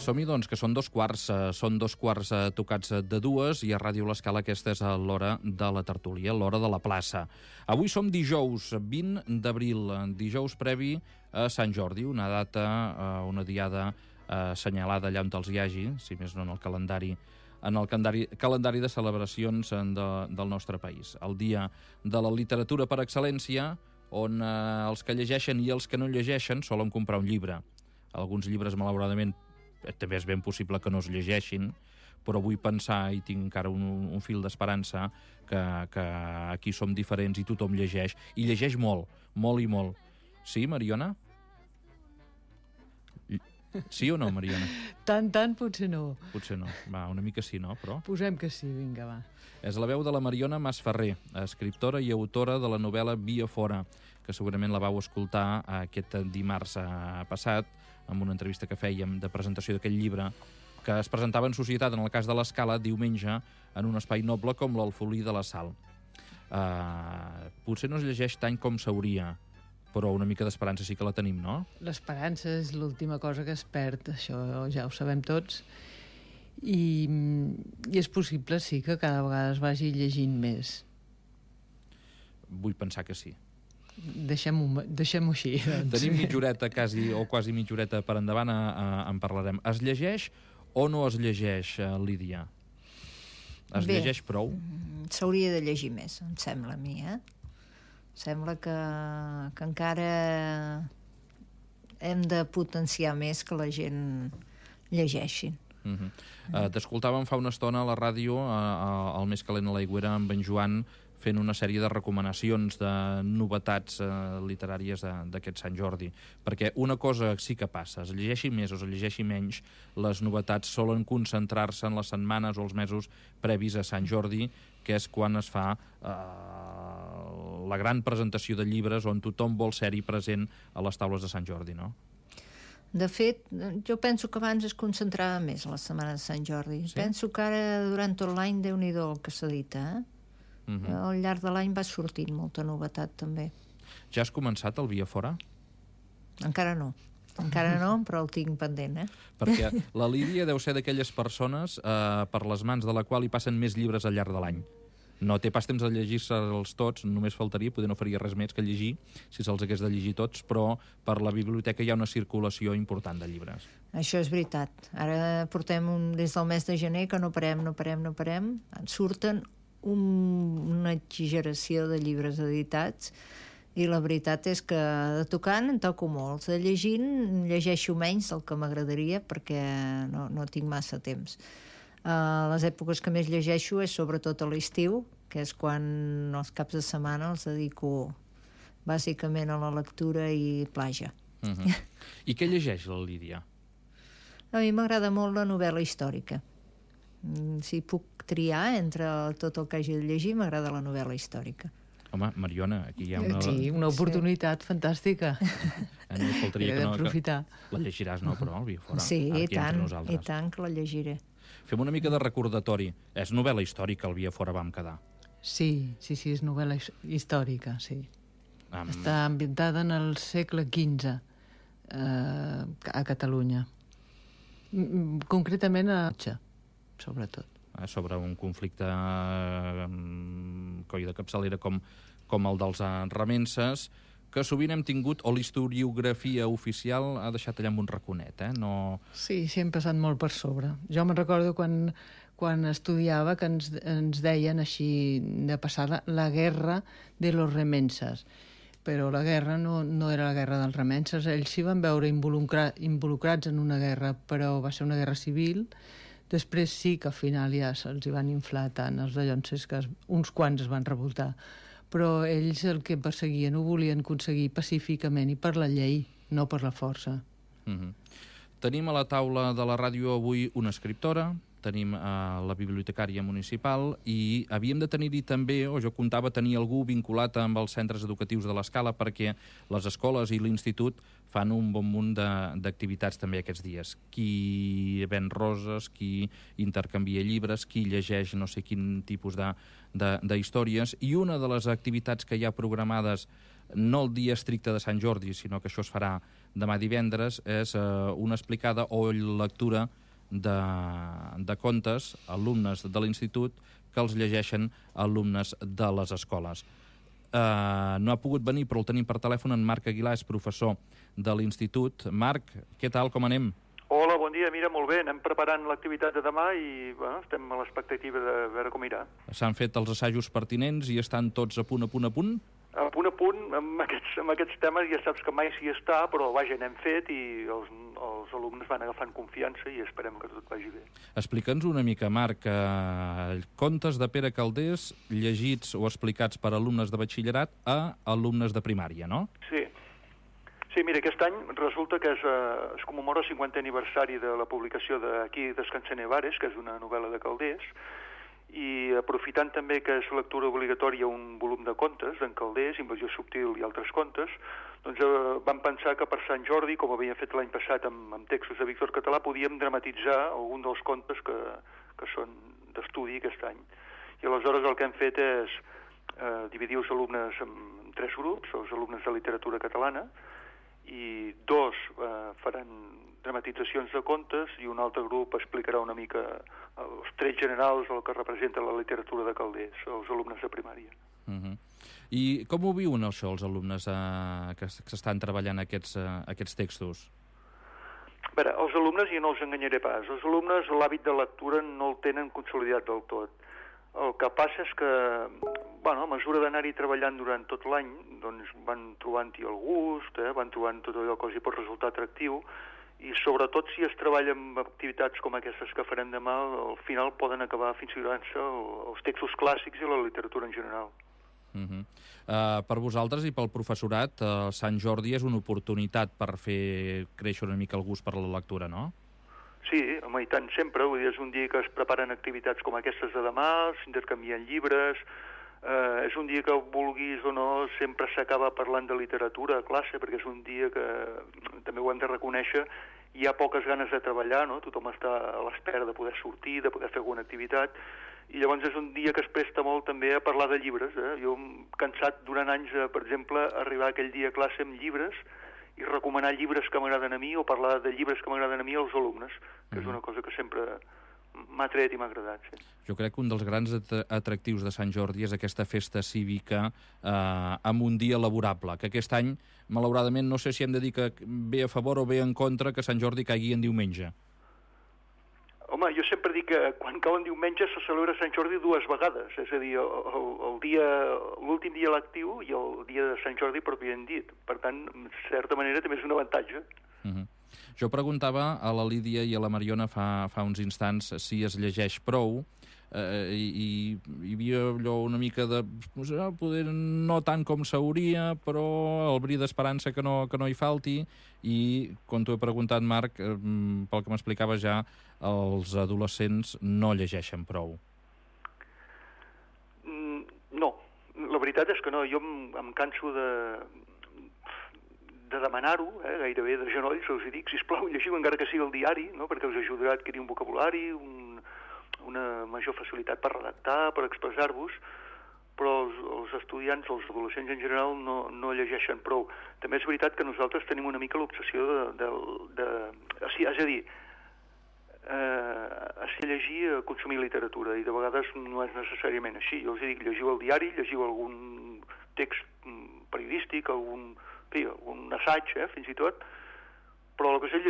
Som-hi, doncs, que són 2 quarts, tocats de 2, i a Ràdio L'Escala aquesta és l'hora de la tertúlia, l'hora de la plaça. Avui som dijous 20 d'abril, dijous previ a Sant Jordi, una data, una diada assenyalada allà on els hi hagi, si més no en el calendari de celebracions del nostre país. El dia de la literatura per excel·lència, on els que llegeixen i els que no llegeixen solen comprar un llibre. Alguns llibres, malauradament, també és ben possible que no es llegeixin, però vull pensar, i tinc encara un fil d'esperança, que aquí som diferents i tothom llegeix, i llegeix molt, molt i molt. Sí, Mariona? Sí o no, Mariona? Tant, potser no. Potser no. Va, una mica sí, no? Però Posem que sí, vinga, va. és la veu de la Mariona Masferrer, escriptora i autora de la novel·la Via Fora, que segurament la vau escoltar aquest dimarts passat, amb una entrevista que fèiem de presentació d'aquest llibre, que es presentava en societat, en el cas de l'Escala, diumenge, en un espai noble com l'Alfolí de la Sal. Potser no es llegeix tant com s'hauria, però una mica d'esperança sí que la tenim, no? L'esperança és l'última cosa que es perd, això ja ho sabem tots, i és possible, sí, que cada vegada es vagi llegint més. Vull pensar que sí. Deixem-ho així, doncs. Tenim mitja horeta, quasi mitja horeta per endavant, en parlarem. Es llegeix o no es llegeix, Lídia? Es llegeix prou? S'hauria de llegir més, em sembla a mi, Sembla que encara hem de potenciar més que la gent llegeixi. T'escoltàvem fa una estona a la ràdio, al Més calent a l'aigüera, amb en Joan, fent una sèrie de recomanacions de novetats literàries d'aquest Sant Jordi. Perquè una cosa sí que passa, es llegeixi més o es llegeixi menys, les novetats solen concentrar-se en les setmanes o els mesos previs a Sant Jordi, que és quan es fa la gran presentació de llibres on tothom vol ser-hi present a les taules de Sant Jordi, no? De fet, jo penso que abans es concentrava més a la setmana de Sant Jordi. Sí? Penso que ara, durant tot l'any, Déu-n'hi-do el que s'edita, Al llarg de l'any va sortint molta novetat, també. Ja has començat el Via Fora? Encara no, però el tinc pendent, Perquè la Lídia deu ser d'aquelles persones per les mans de la qual hi passen més llibres al llarg de l'any. No té pas temps de llegir-se'ls tots, només faltaria, poder no faria res més que llegir, si se'ls hagués de llegir tots, però per la biblioteca hi ha una circulació important de llibres. Això és veritat. Ara portem des del mes de gener que no parem. En surten una exageració de llibres editats, i la veritat és que de tocant en toco molts, de llegint llegeixo menys del que m'agradaria perquè no tinc massa temps. Les èpoques que més llegeixo és sobretot a l'estiu, que és quan els caps de setmana els dedico bàsicament a la lectura i platja. I què llegeix la Lídia? A mi m'agrada molt la novel·la històrica. Si puc triar entre tot el que hagi de llegir, m'agrada la novel·la històrica. Home, Mariona, aquí hi ha una... Sí, una oportunitat fantàstica. No faltaria que no... Aprofitar. La llegiràs, no, però, el Via Fora? Sí, i tant que la llegiré. Fem una mica de recordatori. És novel·la històrica, el Via Fora vam quedar. Sí, és novel·la històrica, sí. Està ambientada en el segle XV a Catalunya. Concretament a Atxa, sobretot. Sobre un conflicte coll de capçalera com el dels remenses, que sovint hem tingut, o l'historiografia oficial ha deixat allà amb un raconet, No... Sí, hem passat molt per sobre. Jo me'n recordo quan estudiava que ens deien així de passar la guerra de los remenses, però la guerra no era la guerra dels remenses. Ells s'hi van veure involucrats en una guerra, però va ser una guerra civil. Després sí que al final ja se'ls van inflar tant els dallonses que uns quants es van revoltar, però ells el que perseguien ho volien aconseguir pacíficament i per la llei, no per la força. Tenim a la taula de la ràdio avui una escriptora, tenim la bibliotecària municipal i havíem de tenir-hi també, o jo comptava tenir algú vinculat amb els centres educatius de l'Escala, perquè les escoles i l'institut fan un bon munt d'activitats també aquests dies. Qui ven roses, qui intercanvia llibres, qui llegeix no sé quin tipus d'històries, i una de les activitats que hi ha programades no el dia estricte de Sant Jordi, sinó que això es farà demà divendres, és una explicada o lectura de contes, alumnes de l'institut, que els llegeixen alumnes de les escoles. No ha pogut venir, però el tenim per telèfon. En Marc Aguilar és professor de l'institut. Marc, què tal, com anem? Hola, bon dia. Mira, molt bé. Anem preparant l'activitat de demà i estem a l'expectativa de veure com irà. S'han fet els assajos pertinents i estan tots a punt? A punt, amb aquests temes ja saps que mai s'hi està, però vaja, n'hem fet i els alumnes van agafant confiança i esperem que tot vagi bé. Explica'ns una mica, Marc, contes de Pere Calders llegits o explicats per alumnes de batxillerat a alumnes de primària, no? Sí, mira, aquest any resulta que es commemora el 50è aniversari de la publicació d'Aquí descansa Nevares, que és una novel·la de Calders, i aprofitant també que és lectura obligatòria un volum de contes d'en Calders, Invasió subtil i altres contes, doncs vam pensar que per Sant Jordi, com havíem fet l'any passat amb textos de Víctor Català, podíem dramatitzar algun dels contes que són d'estudi aquest any. I aleshores el que hem fet és dividir els alumnes en 3 grups, els alumnes de literatura catalana, i 2 faran dramatitzacions de contes i un altre grup explicarà una mica els trets generals del que representa la literatura de Calders, els alumnes de primària. I com ho viuen això els alumnes que s'estan treballant aquests textos? A veure, els alumnes, i no els enganyaré pas, els alumnes l'hàbit de lectura no el tenen consolidat del tot. El que passa és que, a mesura d'anar-hi treballant durant tot l'any, doncs van trobant-hi el gust, van trobant tot allò que els hi pot resultar atractiu, i sobretot si es treballa amb activitats com aquestes que farem demà, al final poden acabar aficionant-se als textos clàssics i a la literatura en general. Per vosaltres i pel professorat, Sant Jordi és una oportunitat per fer créixer una mica el gust per la lectura, no? Sí, home, i tant, sempre. Vull dir, és un dia que es preparen activitats com aquestes de demà, s'intercanvien llibres, és un dia que vulguis o no sempre s'acaba parlant de literatura a classe, perquè és un dia que també ho hem de reconèixer, hi ha poques ganes de treballar, no? Tothom està a l'espera de poder sortir, de poder fer alguna activitat, i llavors és un dia que es presta molt també a parlar de llibres. Jo hem cansat durant anys, per exemple, arribar aquell dia a classe amb llibres i recomanar llibres que m'agraden a mi o parlar de llibres que m'agraden a mi als alumnes, que és una cosa que sempre m'ha tret i m'ha agradat. Sí. Jo crec que un dels grans atractius de Sant Jordi és aquesta festa cívica amb un dia laborable, que aquest any, malauradament, no sé si hem de dir que ve a favor o ve en contra que Sant Jordi caigui en diumenge. Home, jo sempre dic que quan cau en diumenge se celebra Sant Jordi 2 vegades, és a dir, l'últim dia lectiu i el dia de Sant Jordi pròpiament dit. Per tant, en certa manera també és un avantatge. Jo preguntava a la Lídia i a la Mariona fa uns instants si es llegeix prou i hi havia allò una mica de poder no tant com s'hauria, però el bri d'esperança que no hi falti, i quan t'ho he preguntat, Marc, pel que m'explicava ja, els adolescents no llegeixen prou. No, la veritat és que no. Jo em canso de demanar-ho, gairebé de genolls, els dic, sisplau, llegiu encara que sigui el diari, no? Perquè us ajudarà a adquirir un vocabulari, una major facilitat per redactar, per expressar-vos, però els estudiants, els adolescents en general, no llegeixen prou. També és veritat que nosaltres tenim una mica l'obsessió és a dir, a ser llegir, a consumir literatura, i de vegades no és necessàriament així. Jo els dic, llegiu el diari, llegiu algun text periodístic, algun assaig, fins i tot, però el que és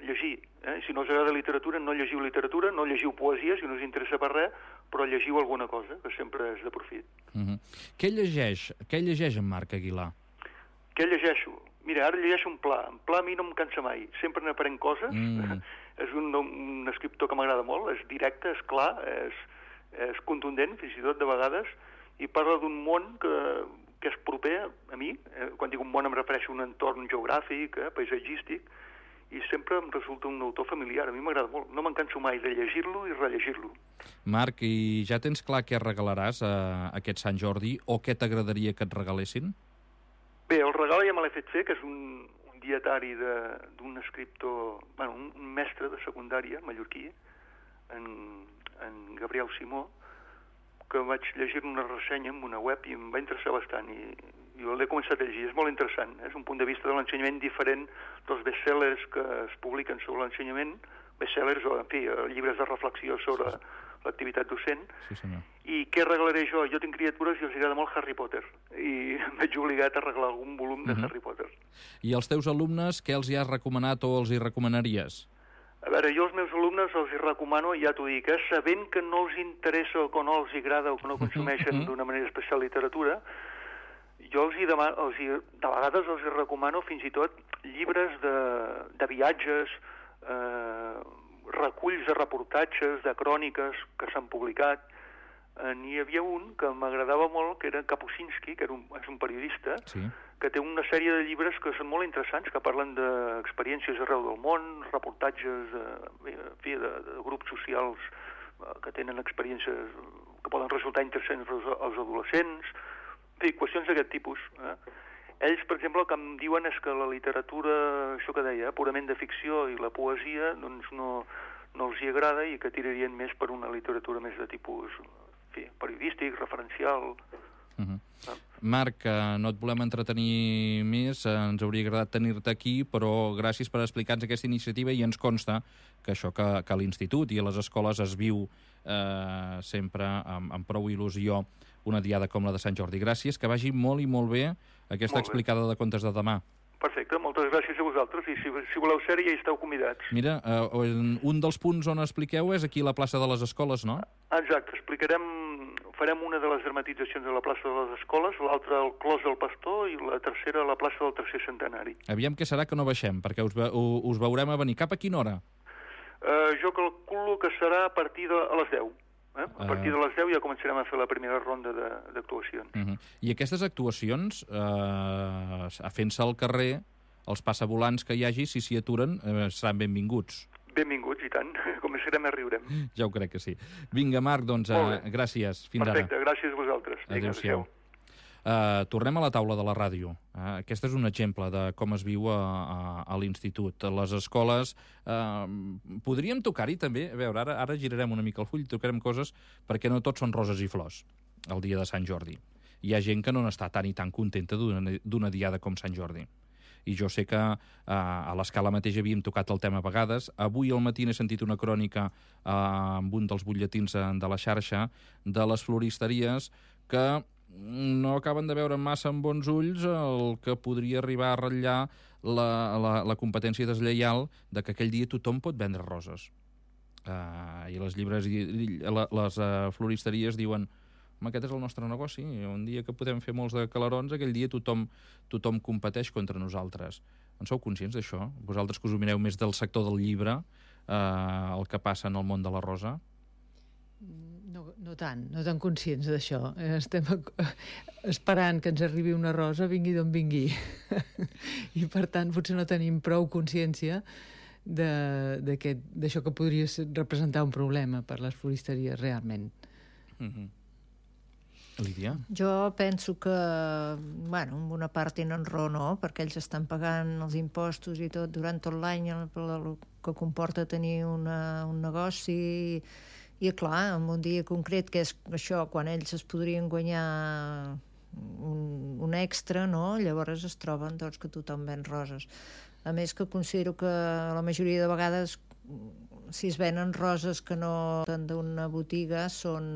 llegir. Si no us agrada literatura, no llegiu literatura, no llegiu poesia, si no us interessa per res, però llegiu alguna cosa, que sempre és de profit. Què llegeix en Marc Aguilar? Què llegeixo? Mira, ara llegeixo un Pla. En Pla a mi no em cansa mai. Sempre n'aprèn coses. És un escriptor que m'agrada molt, és directe, és clar, és contundent, fins i tot de vegades, i parla d'un món que és proper a mi. Quan dic un món em refereixo a un entorn geogràfic, paisatgístic, i sempre em resulta un autor familiar. A mi m'agrada molt. No me'n canso mai de llegir-lo i rellegir-lo. Marc, i ja tens clar què regalaràs aquest Sant Jordi, o què t'agradaria que et regalessin? Bé, el regal ja me l'he fet fer, que és un dietari d'un escriptor, un mestre de secundària mallorquí, en Gabriel Simó, que vaig llegir una ressenya en una web i em va interessar bastant, i jo l'he començat a llegir, és molt interessant, és un punt de vista de l'ensenyament diferent dels bestsellers que es publiquen sobre l'ensenyament, bestsellers o, en fi, llibres de reflexió sobre l'activitat docent. Sí, senyor. I què arreglaré jo? Jo tinc criatures i els agrada molt Harry Potter, i em veig obligat a arreglar algun volum de Harry Potter. I als teus alumnes, què els hi has recomanat o els hi recomanaries? A veure, jo als meus alumnes els hi recomano, ja t'ho dic, sabent que no els interessa o que no els agrada o que no consumeixen d'una manera especial literatura, jo de vegades els hi recomano fins i tot llibres de viatges, reculls de reportatges, de cròniques que s'han publicat. N'hi havia un que m'agradava molt, que era Kapuscinski, que és un periodista, que té una sèrie de llibres que són molt interessants, que parlen d'experiències arreu del món, reportatges de grups socials que tenen experiències que poden resultar interessants als adolescents, en fi, qüestions d'aquest tipus. Ells, per exemple, el que em diuen és que la literatura, això que deia, purament de ficció i la poesia, doncs no els hi agrada i que tirarien més per una literatura més de tipus periodístic, referencial. Marc, no et volem entretenir més, ens hauria agradat tenir-te aquí, però gràcies per explicar-nos aquesta iniciativa i ens consta que això que a l'institut i a les escoles es viu sempre amb prou il·lusió una diada com la de Sant Jordi. Gràcies, que vagi molt i molt bé aquesta explicada de contes de demà. Perfecte, moltes gràcies a vosaltres i si voleu ser-hi ja hi esteu convidats. Mira, un dels punts on expliqueu és aquí a la plaça de les Escoles, no? Exacte, farem una de les dramatitzacions a la plaça de les Escoles, l'altra al Clos del Pastor i la tercera a la plaça del Tercer Centenari. Aviam què serà que no baixem, perquè us veurem a venir. Cap a quina hora? Jo calculo que serà a partir de les 10. A partir de les 10 ja començarem a fer la primera ronda d'actuacions. I aquestes actuacions, fent-se al carrer, els passavolants que hi hagi, si s'hi aturen, seran benvinguts. Benvinguts, i tant. Començarem a riurem. Ja ho crec que sí. Vinga, Marc, doncs gràcies. Fins ara. Perfecte, gràcies a vosaltres. Adéu-siau. Tornem a la taula de la ràdio. Aquest és un exemple de com es viu a l'institut. A les escoles podríem tocar-hi també, a veure, ara girarem una mica el full, tocarem coses perquè no tots són roses i flors el dia de Sant Jordi. Hi ha gent que no n'està tan i tan contenta d'una diada com Sant Jordi. I jo sé que a l'Escala mateix havíem tocat el tema a vegades. Avui al matí n'he sentit una crònica amb un dels butlletins de la xarxa de les floristeries que no acaben de veure massa amb bons ulls el que podria arribar a ratllar la competència deslleial de que aquell dia tothom pot vendre roses. I les floristeries diuen: home, aquest és el nostre negoci, un dia que podem fer molts de calarons, aquell dia tothom competeix contra nosaltres. En sou conscients d'això? Vosaltres que us ho mireu més del sector del llibre, el que passa en el món de la rosa? No tan conscients d'això. Estem esperant que ens arribi una rosa, vingui d'on vingui. I, per tant, potser no tenim prou consciència d'això que podria representar un problema per les floristeries, realment. Lídia? Jo penso que, en una part tenen raó, no?, perquè ells estan pagant els impostos i tot durant tot l'any, el que comporta tenir un negoci. I, clar, en un dia concret, que és això, quan ells es podrien guanyar un extra, no?, llavors es troben que tothom ven roses. A més, que considero que la majoria de vegades, si es venen roses que no són d'una botiga, són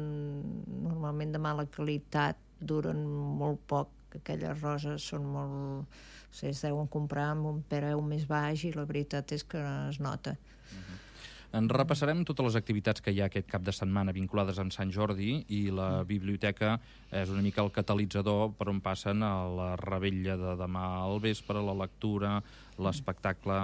normalment de mala qualitat, duren molt poc. Aquelles roses són molt... es deuen comprar amb un preu més baix i la veritat és que es nota. En repassarem totes les activitats que hi ha aquest cap de setmana vinculades amb Sant Jordi i la biblioteca és una mica el catalitzador per on passen a la revetlla de demà al vespre, la lectura, l'espectacle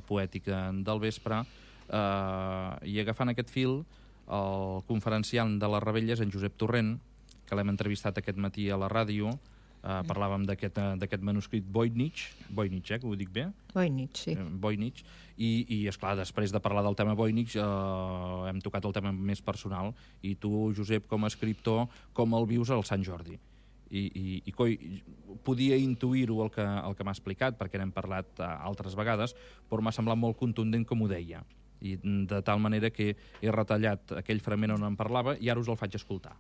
poètic del vespre. I agafant aquest fil, el conferenciant de la revetlla és en Josep Torrent, que l'hem entrevistat aquest matí a la ràdio. Parlàvem d'aquest manuscrit Voynich, que ho dic bé? Voynich, sí. Voynich. I esclar, després de parlar del tema Voynich, hem tocat el tema més personal. I tu, Josep, com a escriptor, com el vius al Sant Jordi? I podia intuir-ho el que m'ha explicat, perquè n'hem parlat altres vegades, però m'ha semblat molt contundent com ho deia. I de tal manera que he retallat aquell fragment on en parlava i ara us el faig escoltar.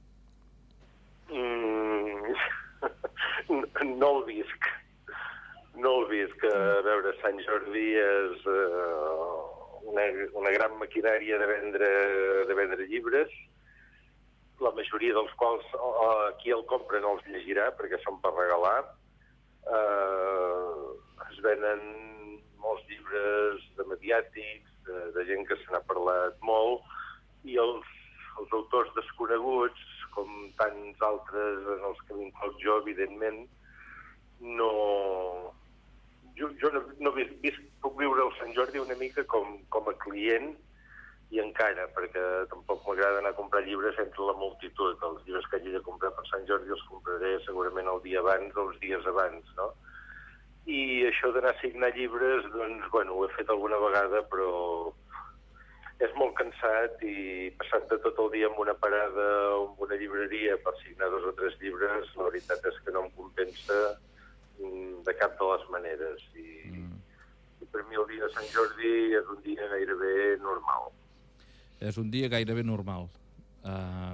No el visc. A veure, Sant Jordi és una gran maquinària de vendre llibres, la majoria dels quals qui el compra no els llegirà perquè són per regalar. Es venen molts llibres de mediàtics, de gent que se n'ha parlat molt, i els autors desconeguts, com tants altres en els que m'incloc jo, evidentment, jo no puc viure el Sant Jordi una mica com a client, i encara, perquè tampoc m'agrada anar a comprar llibres entre la multitud. Els llibres que hagi de comprar per Sant Jordi els compraré segurament el dia abans o els dies abans, no? I això d'anar a signar llibres, doncs, bueno, ho he fet alguna vegada, però és molt cansat, i passant-te tot el dia en una parada o en una llibreria per signar 2 o 3 llibres, la veritat és que no em compensa de cap de les maneres. I per mi el dia de Sant Jordi és un dia gairebé normal. És un dia gairebé normal.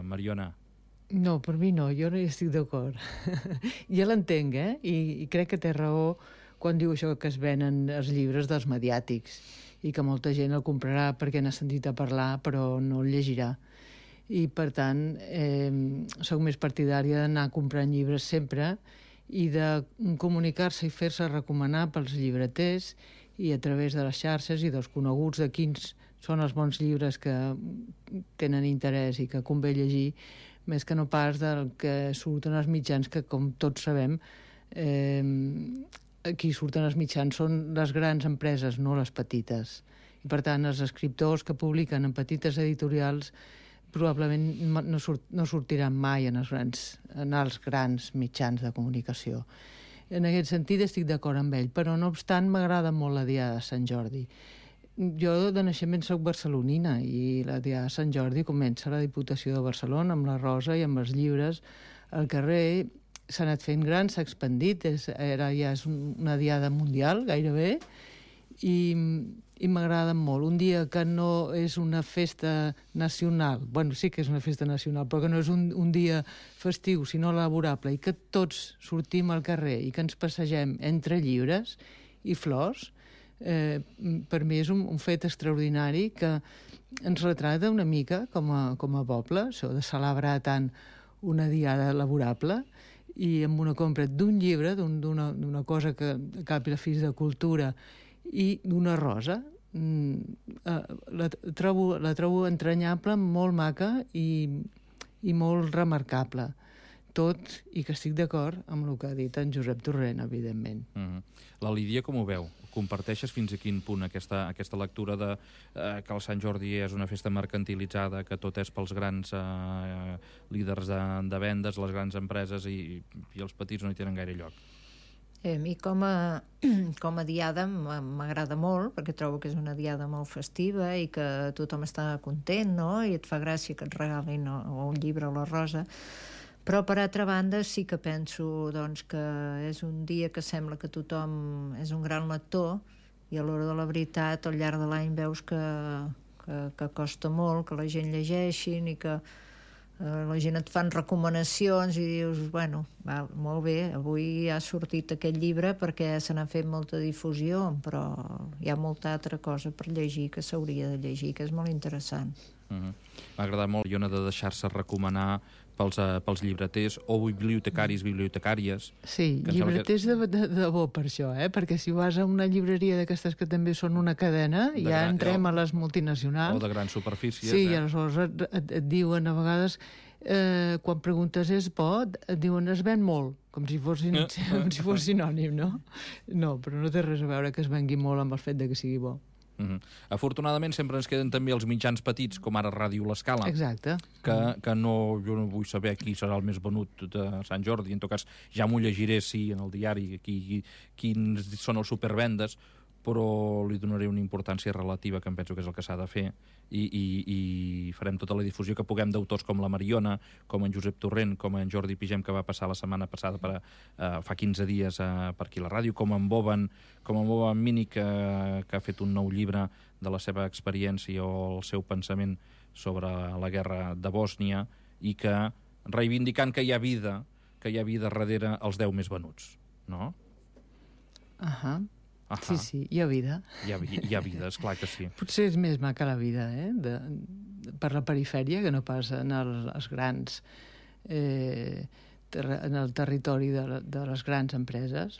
Mariona? No, per mi no, jo no hi estic d'acord. Ja l'entenc, I crec que té raó quan diu això que es venen els llibres dels mediàtics i que molta gent el comprarà perquè n'ha sentit a parlar però no el llegirà. I, per tant, soc més partidària d'anar comprant llibres sempre i de comunicar-se i fer-se recomanar pels llibreters i a través de les xarxes i dels coneguts de quins són els bons llibres que tenen interès i que convé llegir, més que no pas del que surten als mitjans, que, com tots sabem, qui surten als mitjans són les grans empreses, no les petites. I, per tant, els escriptors que publiquen en petites editorials probablement no sortiran mai en els grans mitjans de comunicació. En aquest sentit estic d'acord amb ell, però no obstant m'agrada molt la Diada de Sant Jordi. Jo de naixement soc barcelonina i la Diada de Sant Jordi comença a la Diputació de Barcelona amb la Rosa i amb els llibres. El carrer s'ha anat fent gran, s'ha expandit, ja és una diada mundial gairebé, i m'agrada molt. Un dia que no és una festa nacional, bueno, sí que és una festa nacional, però que no és un dia festiu, sinó laborable, i que tots sortim al carrer i que ens passegem entre llibres i flors, per mi és un fet extraordinari que ens retrata una mica com a poble, això de celebrar tant una diada laborable, i amb una compra d'un llibre, d'una cosa que a cap i a la fi és de cultura, i d'una rosa. La trobo entranyable, molt maca i molt remarcable. Tot i que estic d'acord amb el que ha dit en Josep Torrent, evidentment. La Lídia com ho veu? Comparteixes fins a quin punt aquesta lectura de que el Sant Jordi és una festa mercantilitzada, que tot és pels grans líders de vendes, les grans empreses, i els petits no hi tenen gaire lloc? A mi com a diada m'agrada molt, perquè trobo que és una diada molt festiva i que tothom està content, no? I et fa gràcia que et regalin o un llibre o la rosa. Però, per altra banda, sí que penso doncs, que és un dia que sembla que tothom és un gran lector, i a l'hora de la veritat, al llarg de l'any veus que costa molt que la gent llegeixin i que la gent et fan recomanacions i dius, bueno, molt bé, avui ha sortit aquest llibre perquè se n'ha fet molta difusió, però hi ha molta altra cosa per llegir que s'hauria de llegir, que és molt interessant. M'ha agradat molt, Iona, de deixar-se recomanar pels llibreters o bibliotecaris, bibliotecàries. Sí, llibreters de bo per això, perquè si vas a una llibreria d'aquestes que també són una cadena, ja entrem a les multinacionals. O de grans superfícies. Sí, i aleshores et diuen a vegades, quan preguntes és bo, et diuen es ven molt, com si fos sinònim, no? No, però no té res a veure que es vengui molt amb el fet de que sigui bo. Afortunadament sempre ens queden també els mitjans petits, com ara Ràdio L'Escala. Exacte. Que jo no vull saber qui serà el més venut de Sant Jordi. En tot cas, ja m'ho llegiré, sí, en el diari, quins són els supervendes, però li donaré una importància relativa, que em penso que és el que s'ha de fer, i farem tota la difusió que puguem d'autors com la Mariona, com en Josep Torrent, com en Jordi Pigem, que va passar la setmana passada fa 15 dies per aquí a la ràdio, com en Boban Mini, que ha fet un nou llibre de la seva experiència o el seu pensament sobre la guerra de Bòsnia, i que, reivindicant que hi ha vida que hi ha vida darrere els 10 més venuts, no? Ahà. Sí, hi ha vida. Hi ha vida, esclar que sí. Potser és més maca la vida, per la perifèria, que no pas en els grans... en el territori de les grans empreses.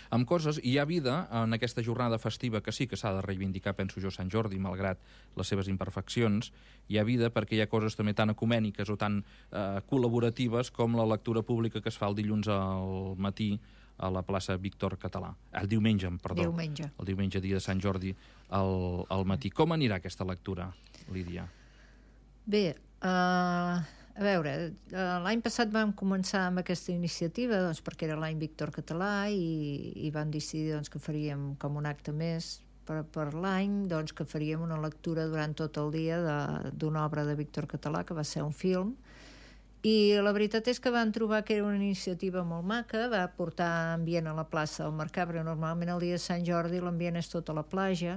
Amb coses, hi ha vida en aquesta jornada festiva que sí que s'ha de reivindicar, penso jo, Sant Jordi, malgrat les seves imperfeccions. Hi ha vida perquè hi ha coses també tan ecumèniques o tan col·laboratives com la lectura pública que es fa el dilluns al matí a la plaça Víctor Català. El diumenge, perdó. Diumenge. El diumenge, dia de Sant Jordi, al matí. Com anirà aquesta lectura, Lídia? Bé, a veure, l'any passat vam començar amb aquesta iniciativa perquè era l'any Víctor Català i vam decidir que faríem com un acte més per l'any, que faríem una lectura durant tot el dia d'una obra de Víctor Català, que va ser un film. I la veritat és que vam trobar que era una iniciativa molt maca, va portar ambient a la plaça del Mercat, perquè normalment el dia de Sant Jordi l'ambient és tot a la platja.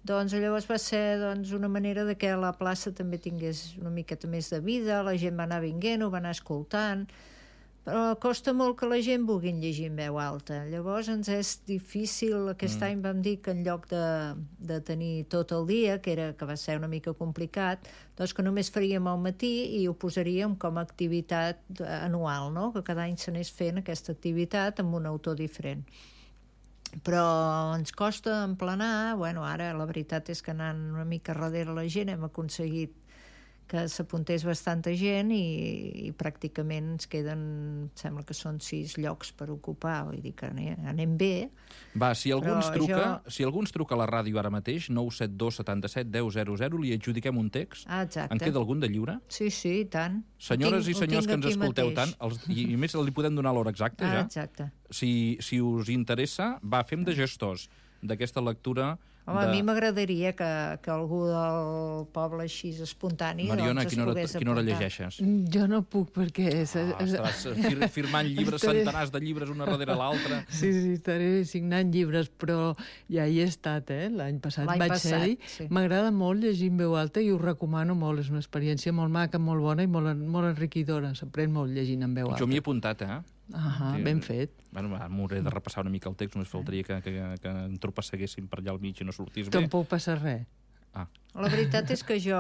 Llavors va ser una manera de que la plaça també tingués una miqueta més de vida, la gent va anar vinguent, ho va anar escoltant, però costa molt que la gent vulgui llegir en veu alta. Llavors ens és difícil, aquest any vam dir que en lloc de tenir tot el dia, que va ser una mica complicat, que només faríem al matí i ho posaríem com a activitat anual, no? Que cada any s'anés fent aquesta activitat amb un autor diferent. Però ens costa emplenar, ara la veritat és que anant una mica darrere la gent hem aconseguit que s'apuntés bastanta gent i pràcticament ens queden, sembla que són 6 llocs per ocupar, vull dir que anem bé. Va, si algú ens truca a la ràdio ara mateix, 972 77 10 00, li adjudiquem un text? Exacte. En queda algun de lliure? Sí, i tant. Senyores i senyors que ens escolteu tant, i més li podem donar l'hora exacta, ja? Exacte. Si us interessa, fem de gestors d'aquesta lectura. Home, a mi m'agradaria que algú del poble així espontani Mariona, es pogués a quina hora llegeixes? Jo no puc perquè... Estaràs firmant llibres, centenars de llibres una darrere l'altra. Sí, estaré signant llibres, però ja hi he estat, l'any passat vaig ser-hi. Sí. M'agrada molt llegir en veu alta i ho recomano molt. És una experiència molt maca, molt bona i molt enriquidora. S'aprèn molt llegint en veu alta. Jo m'hi he apuntat, ben fet. M'hauré de repassar una mica el text, només faltaria que en tropasseguéssim per allà al mig i no sortís bé. Tampoc passa res. La veritat és que jo,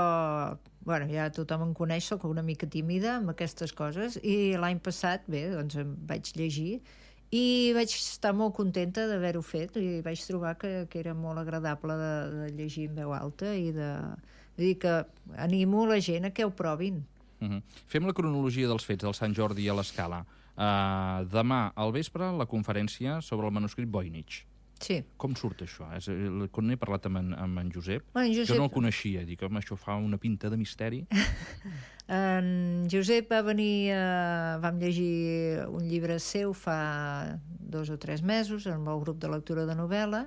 ja tothom em coneix, soc una mica tímida amb aquestes coses, i l'any passat, em vaig llegir i vaig estar molt contenta d'haver-ho fet i vaig trobar que era molt agradable de llegir en veu alta i vull dir que animo la gent a que ho provin. Fem la cronologia dels fets del Sant Jordi a l'Escala. Demà al vespre la conferència sobre el manuscrit Voynich. Sí. Com surt això? Quan n'he parlat amb en Josep, jo no el coneixia, dic, això fa una pinta de misteri. En Josep va venir, vam llegir un llibre seu fa 2 o 3 mesos amb el grup de lectura de novel·la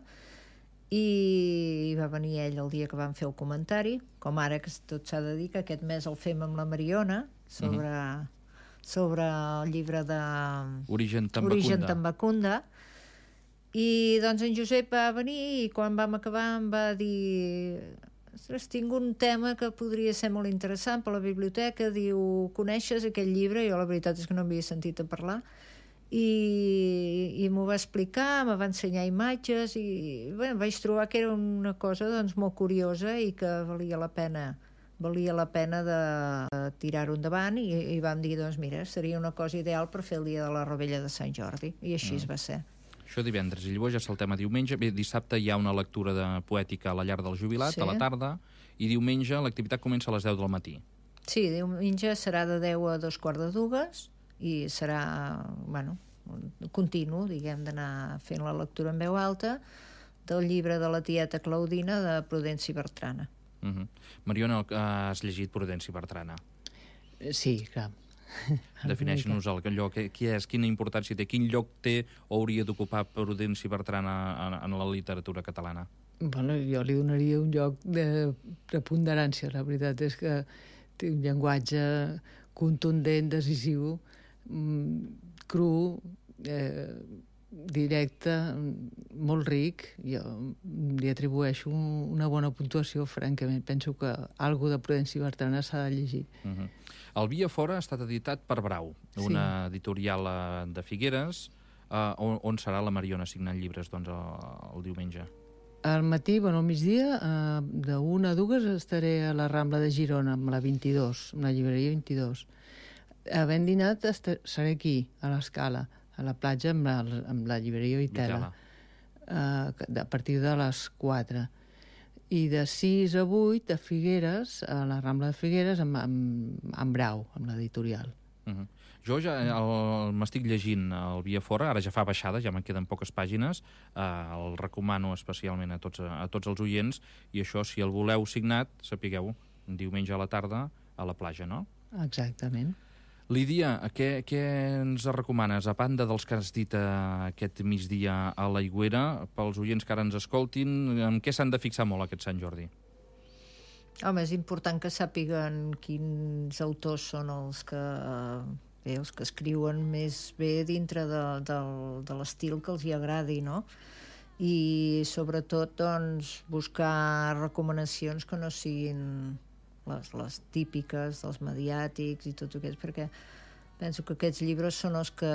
i va venir ell el dia que vam fer el comentari, com ara que tot s'ha de dir que aquest mes el fem amb la Mariona sobre el llibre de Origen Tambacunda. I doncs en Josep va venir i quan vam acabar em va dir: ostres, tinc un tema que podria ser molt interessant per la biblioteca, diu, coneixes aquell llibre? Jo la veritat és que no havia sentit a parlar i m'ho va explicar, me va ensenyar imatges i vaig trobar que era una cosa molt curiosa i que valia la pena de tirar-ho endavant i vam dir, mira, seria una cosa ideal per fer el dia de la Rovella de Sant Jordi, i així es va ser. Això divendres, i llavors ja saltem a diumenge. Bé, dissabte hi ha una lectura de poètica a la llar del jubilat, a la tarda, i diumenge l'activitat comença a les 10 del matí. Sí, diumenge serà de 10 a 2:45 i serà, continu, d'anar fent la lectura en veu alta del llibre de la tieta Claudina de Prudenci Bertrana. Mariona, has llegit Prudenci Bertrana? Sí, clar. Defineix-nos allò, qui és, quina importància té, quin lloc té o hauria d'ocupar Prudenci Bertrana en la literatura catalana? Jo li donaria un lloc de preponderància. La veritat és que té un llenguatge contundent, decisiu, cru, directe, molt ric. Jo li atribueixo una bona puntuació, francament. Penso que algo de Prudenci Bertrana s'ha de llegir. El Via Fora ha estat editat per Brau, una editorial de Figueres, on serà la Mariona signant llibres doncs, el diumenge. Al matí, al migdia, de 1 a 2 estaré a la Rambla de Girona, amb la 22, amb la llibreria 22. Havent dinat, seré aquí, a l'Escala, a la platja, amb la llibreria Vitela, a partir de les 4. I de 6 a 8 a Figueres, a la Rambla de Figueres, amb Brau, amb l'editorial. Jo ja m'estic llegint el Via Fora, ara ja fa baixada, ja me'n queden poques pàgines, el recomano especialment a tots els oients, i això, si el voleu signat, sapigueu, diumenge a la tarda a la platja, no? Exactament. Lídia, què ens recomanes, a banda dels que has dit aquest migdia a l'Aigüera, pels oients que ara ens escoltin, en què s'han de fixar molt aquest Sant Jordi? Home, és important que sàpiguen quins autors són els que escriuen més bé dintre de l'estil que els hi agradi, no? I sobretot doncs, buscar recomanacions que no siguin les típiques dels mediàtics i tot aquest, perquè penso que aquests llibres són els que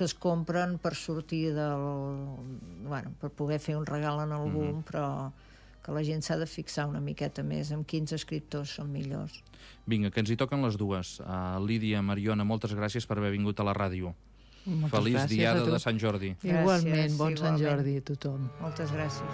es compren per sortir per poder fer un regal en algú, però que la gent s'ha de fixar una miqueta més en quins escriptors són millors. Vinga, que ens hi toquen les dues. Lídia, Mariona, moltes gràcies per haver vingut a la ràdio. Feliç diada de Sant Jordi. Igualment, bon Sant Jordi a tothom. Moltes gràcies.